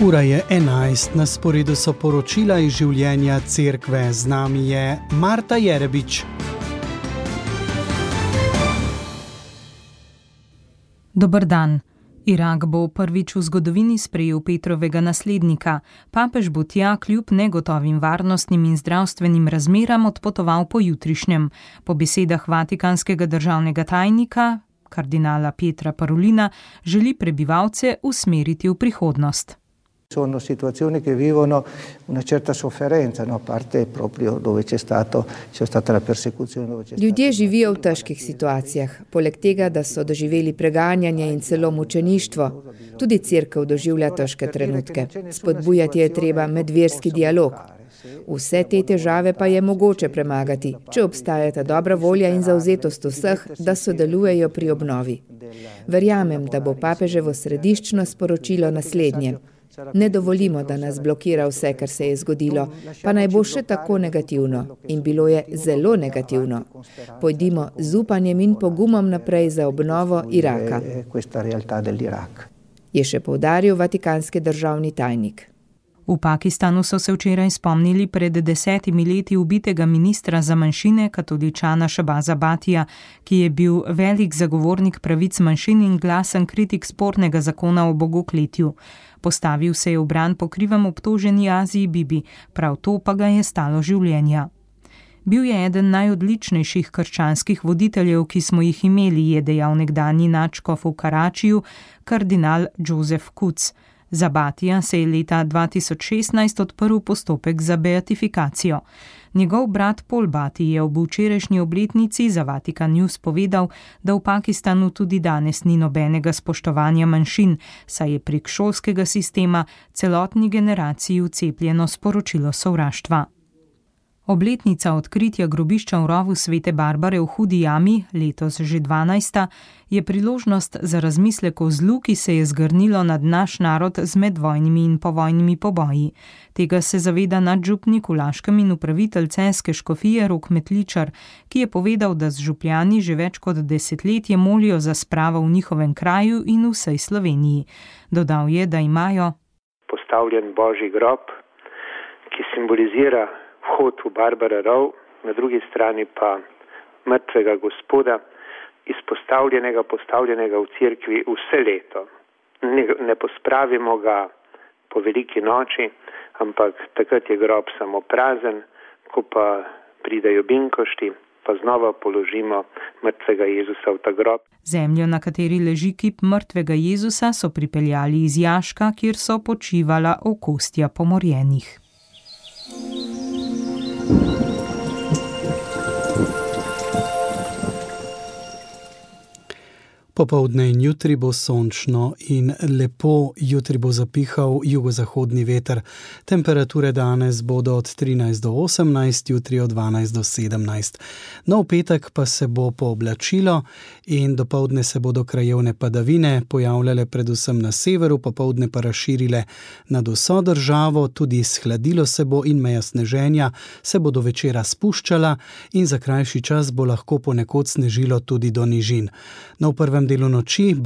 Ura je 11, na sporedu so poročila iz življenja cerkve. Z nami je Marta Jerebič. Dober dan. Irak bo prvič v zgodovini sprejel Petrovega naslednika. Papež bo tja kljub negotovim varnostnim in zdravstvenim razmeram odpotoval po jutrišnjem. Po besedah vatikanskega državnega tajnika, kardinala Pietra Parolina, želi prebivalce usmeriti v prihodnost. Sono situazioni che vivono una certa sofferenza, a parte proprio dove c'è stata la persecuzione. Ljudje živijo v težkih situacijah, poleg tega, da so doživeli preganjanje in celo mučeništvo. Tudi cerkev doživlja težke trenutke. Spodbujati je treba medverski dialog. Vse te težave pa je mogoče premagati, če obstajata dobra volja in zavzetost vseh, da sodelujejo pri obnovi. Verjamem, da bo papeževo središčno sporočilo naslednje. Ne dovolimo, da nas blokira vse, kar se je zgodilo, pa naj bo še tako negativno. In bilo je zelo negativno. Pojdimo z upanjem in pogumom naprej za obnovo Iraka, je še poudaril vatikanski državni tajnik. V Pakistanu so se včeraj spomnili pred 10 leti ubitega ministra za manjšine, katoličana Shahbaza Bhatija, ki je bil velik zagovornik pravic manjšin in glasen kritik spornega zakona o bogokletju. Postavil se je v bran pokrivam obtoženi Aziji Bibi, prav to pa ga je stalo življenja. Bil je eden najodličnejših krščanskih voditeljev, ki smo jih imeli, je dejal nekdanji nadškof v Karačiju, kardinal Joseph Kuc. Za Bhatija se je leta 2016 odprl postopek za beatifikacijo. Njegov brat Paul Bhati je ob včerajšnji obletnici za Vatikan News povedal, da v Pakistanu tudi danes ni nobenega spoštovanja manjšin, saj je prek šolskega sistema celotni generaciji vcepljeno sporočilo sovraštva. Obletnica odkritja grobišča v rovu Svete Barbare v Hudi jami, letos že 12., je priložnost za razmislek o zlu, ki se je zgrnilo nad naš narod z medvojnimi in povojnimi poboji. Tega se zaveda nadžupnik v Laškem in upravitelj celjske škofije Rok Metličar, ki je povedal, da z župljani že več kot desetletje molijo za spravo v njihovem kraju in v vsej Sloveniji. Dodal je, da imajo postavljen božji grob, ki simbolizira vhod v Barbara rov, na drugi strani pa mrtvega Gospoda, postavljenega v cerkvi vse leto. Ne pospravimo ga po veliki noči, ampak takrat je grob samo prazen, ko pa pridejo binkošti, pa znova položimo mrtvega Jezusa v ta grob. Zemljo, na kateri leži kip mrtvega Jezusa, so pripeljali iz jaška, kjer so počivala okostja pomorjenih. Popoldne in jutri bo sončno in lepo, jutri bo zapihal jugozahodni veter. Temperature danes bodo od 13 do 18, jutri od 12 do 17. No, v petek pa se bo pooblačilo in dopoldne se bodo krajevne padavine pojavljale predvsem na severu, popoldne pa razširile nad vso državo, tudi shladilo se bo in meja sneženja se bo do večera spuščala in za krajši čas bo lahko ponekod snežilo tudi do nižin. No, v prvem delu noči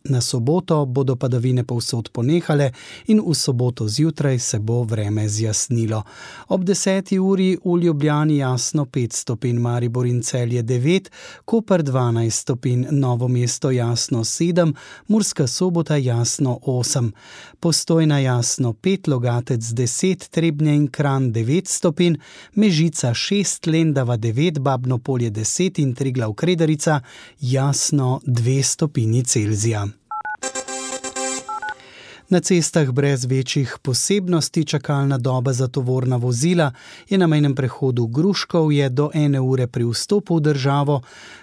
na soboto bodo padavine povsod ponehale in v soboto zjutraj se bo vreme zjasnilo. Ob 10. uri v Ljubljani jasno 5 stopinj, Maribor in Celje 9, Koper 12 stopinj, Novo mesto jasno 7, Murska Sobota jasno 8, Postojna jasno 5, Logatec 10, Trebnje in Kranj 9 stopinj, Mežica 6, Lendava 9, Babno Polje 10 in Triglav Kredarica jasno 2 stopinji Celzija. Na cestah brez večjih posebnosti čakalna doba za tovorna vozila je na mejnem prehodu Gruškovje do 1 ure pri vstopu v državo,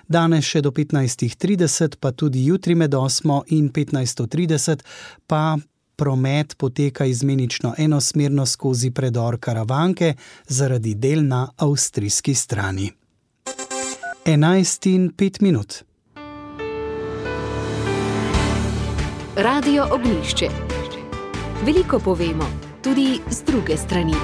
danes še do 15:30, pa tudi jutri med 8 in 15:30 pa promet poteka izmenično enosmerno skozi predor Karavanke zaradi del na avstrijski strani. 11:05. Radio Ognjišče. Veliko povemo, tudi z druge strani.